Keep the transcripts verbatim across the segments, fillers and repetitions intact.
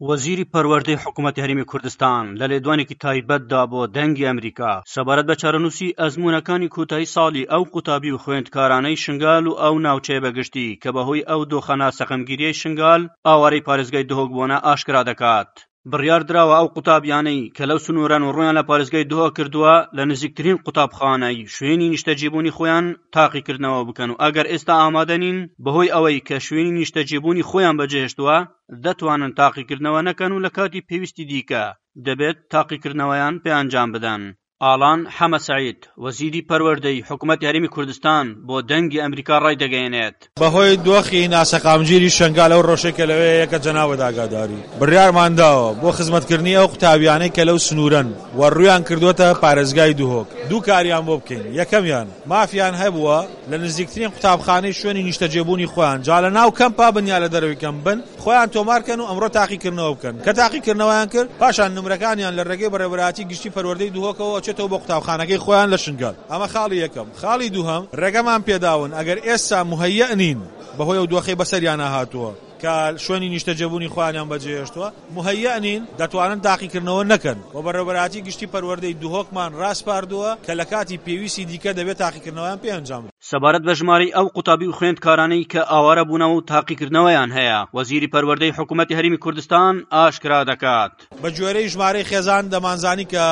وەزیری پەروەردەی حکوومەتی هەرێمی کوردستان لە لێدوانێکی تایبەتدا بۆ دەنگی ئەمریکا سەبارەت بە چارەنووسی ئەزموونەکانی کۆتایی ساڵی ئەو قوتابی و خوێندکارانەی شنگال و ئەو ناوچەیە بەگشتی کە بەهۆی ئەو دۆخە ناسەقامگیریەی شنگال ئاوارەی پارێزگای دهۆک بوونە ئاشکرا دەکات. بڕیار دراوە ئەو قوتابیانەی کە لەو سنوورەن و ڕوویان لە پارێزگای دهۆک کردووە لە نزیکترین قوتابخانەی شوێنی نیشتەجێبوونی خۆیان تاقیکردنەوە بکەن و ئەگەر ئێستا ئامادە نین بەهۆی ئەوەی کە شوێنی نیشتەجێبوونی خۆیان بەجێهێشتووە دەتوانن تاقیکردنەوە نەکەن و لە کاتی پێویستی دیکە دەبێت تاقیکردنەوەیان پێ ئەنجام بدەن. ئالان حەمە سەعید، وەزیری پەروەردەی حکومەتی هەرێمی کوردستان بۆ دەنگی ئەمریکا ڕایدەگەیەنێت، بەهۆی دۆخی ناسەقامگیری شەنگال ئەو ڕەوشەی کە لەوێ یە کە جەنابت ئاگاداری، بڕیارمان داوە بۆ خزمەتکردنی ئەو قوتابیانەی کە لەو سنوورەن و ڕوویان کردووەتە پارێزگای دهۆک دوو کاریان بۆ بکەین، یەکەمیان مافیان هەبووە لە نزیکترین قوتابخانەی شوێنی نیشتەجێبوونی خۆیان جا لە ناو کەمپا بن یا لە دەرەوەی کەمپ بن خۆیان تۆمار کەن و ئەمڕۆ تاقیکردنەوە بکەن، کە تاقیکردنەوەیان کرد پاشان نمرەکانیان لە ڕێگەی بەڕێوەبەرایەتی گشتی پەروەردەی دهۆکەوە ئەچێتەوە بۆ قوتابخانەکەی خۆیان لە شنگال. ئەمە خاڵی یەکەم. خاڵی دووهەم ڕێگەمان پێداون ئەگەر ئێستا موهەیەئ نین بەهۆی ئەو دۆخەی بەسەریانا هاتووە کە شوێنی نیشتەجێبوونی خۆیانیان بەجێهێشتووە موهەیەئ نین دەتوانن تاقیکردنەوە نەکەن و بەڕێوەبەرایەتی گشتی پەروەردەی دهۆکمان ڕاسپاردووە کە لە کاتی پێویستی دیکە دەبێت تاقیکردنەوەیان پێ ئەنجام سەبارەت بە ژمارەی ئەو قوتابی و خوێندکارانەی کە ئاوارە بوونەوە و تاقیکردنەوەیان هەیە، وەزیری پەروەردەی حکوومەتی هەرێمی کوردستان ئاشکرا دەکات. بە گوێرەی ژمارەی خێزان دەمانزانی کە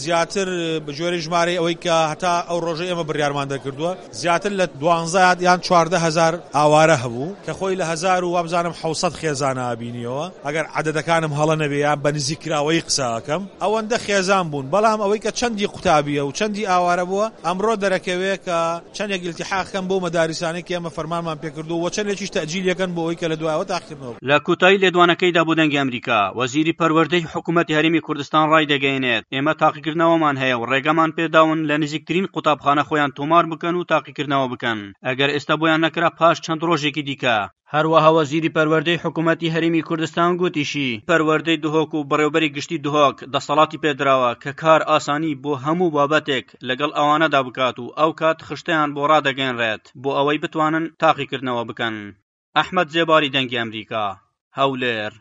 زیاتر بە گوێرەی ژمارەی ئەوەی کە هەتا ئەو ڕۆژەی ئێمە بڕیارمان دەرکردووە زیاتر لە دوانزە یان چواردە هەزار ئاوارە هەبوو کە خۆی لە هەزار و وابزانم حەوت سەد خێزانە بینیەوە ئەگەر عەدەدەکانم هەڵە نەبێ یان بە نزیککراوەیی قسە ئەکەم ئەوەندە خێزان بوون بەڵام ئەوەی کە چەندی قوتابیە و چەندی ئاوارە بووە ئەمڕۆ دەرەکەوێ کە چەندێک ئیلتیحاق کەن بەو مەداریسانەی کە ئێمە فەرمانمان پێکردووە و چەندێکیش تەئجیل یەکەن بۆ ئەوەی کە لە دوایەوە تاقیکردنەوە لە کۆتایی لێدوانەکەیدا بۆ دەنگی ئەمریکا، وەزیری پەروەردەی حکومەتی هەرێمی کوردستان ڕایدەگەیەنێت، ئێمە تاقیکردنەوەمان هەیە و ڕێگەمان پێداون لە نزیکترین قوتابخانە خۆیان تۆمار بکەن و تاقیکردنەوە بکەن، ئەگەر ئێستا بۆیان نەکرا پاش چەند ڕۆژێکی دیکە. هەروەها وەزیری پەروەردەی حکومەتی هەرێمی کوردستان گوتیشی، پەروەردەی دهۆک و بەڕێوەبەری گشتی دهۆک دەسەڵاتی پێدراوە کە کار ئاسانی بۆ هەموو بابەتێک لەگەڵ ئەوانەدا بکات و ئەو کات خشتەیان بۆ ڕادەگەیەنرێت بۆ ئەوەی بتوانن تاقیکردنەوە بکەن. ئەحمەد زێباری دەنگی ئەمریکا، هەولێر.